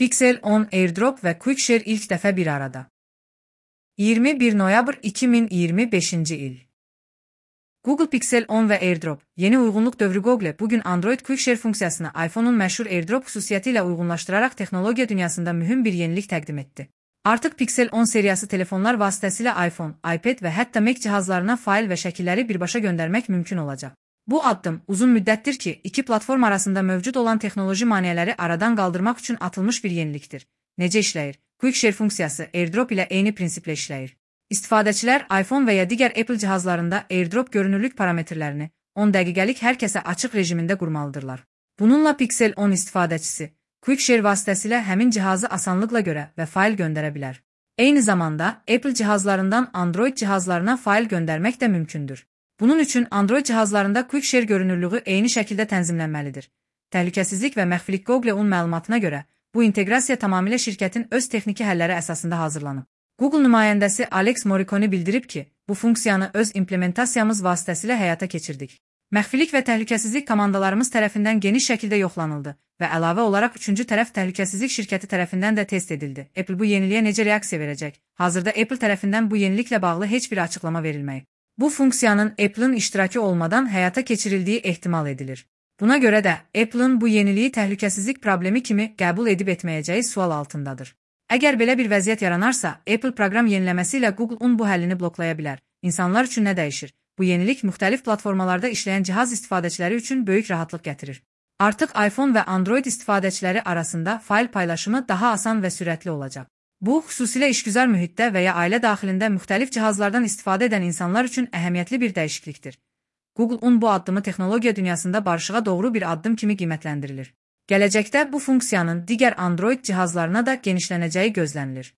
Pixel 10 AirDrop ve QuickShare ilk dəfə bir arada. 21 noyabr 2025 il. Google Pixel 10 ve AirDrop, yeni uyğunluq dövrü Google bugün Android QuickShare funksiyasını iPhone'un məşhur AirDrop xüsusiyyəti ilə uyğunlaşdıraraq texnologiya dünyasında mühüm bir yenilik təqdim etdi. Artıq Pixel 10 seriyası telefonlar vasitəsilə iPhone, iPad və hətta Mac cihazlarına fail və şəkilləri birbaşa göndərmək mümkün olacaq. Bu addım uzun müddətdir ki, iki platform arasında mövcud olan texnoloji maneələri aradan qaldırmaq üçün atılmış bir yenilikdir. Necə işləyir? QuickShare funksiyası AirDrop ilə eyni prinsiplə işləyir. İstifadəçilər iPhone və ya digər Apple cihazlarında AirDrop görünürlük parametrlərini 10 dəqiqəlik hər kəsə açıq rejimində qurmalıdırlar. Bununla Pixel 10 istifadəçisi QuickShare vasitəsilə həmin cihazı asanlıqla görə və fail göndərə bilər. Eyni zamanda Apple cihazlarından Android cihazlarına fail göndərmək də mümkündür. Bunun üçün Android cihazlarında QuickShare görünürlüğü eyni şəkildə tənzimlənməlidir. Təhlükəsizlik və məxfilik Google-un məlumatına görə bu inteqrasiya tamamilə şirkətin öz texniki həlləri əsasında hazırlanıb. Google nümayəndəsi Alex Moricone bildirib ki, bu funksiyanı öz implementasiyamız vasitəsilə həyata keçirdik. Məxfilik və təhlükəsizlik komandalarımız tərəfindən geniş şəkildə yoxlanıldı və əlavə olaraq üçüncü tərəf təhlükəsizlik şirkəti tərəfindən də test edildi. Apple bu yeniliyə necə reaksiya verəcək? Hazırda Apple tərəfindən bu yeniliklə bağlı heç bir açıqlama verilməyib. Bu funksiyanın Apple'ın iştirakı olmadan həyata keçirildiyi ehtimal edilir. Buna görə də Apple'ın bu yeniliyi təhlükəsizlik problemi kimi qəbul edib etməyəcəyi sual altındadır. Əgər belə bir vəziyyət yaranarsa, Apple proqram yeniləməsi ilə Google-un bu həllini bloklaya bilər. İnsanlar üçün nə dəyişir? Bu yenilik müxtəlif platformalarda işləyən cihaz istifadəçiləri üçün böyük rahatlıq gətirir. Artıq iPhone və Android istifadəçiləri arasında fail paylaşımı daha asan və sürətli olacaq. Bu, xüsusilə işgüzar mühitdə və ya ailə daxilində müxtəlif cihazlardan istifadə edən insanlar üçün əhəmiyyətli bir dəyişiklikdir. Google-un bu addımı texnologiya dünyasında barışığa doğru bir addım kimi qiymətləndirilir. Gələcəkdə bu funksiyanın digər Android cihazlarına da genişlənəcəyi gözlənilir.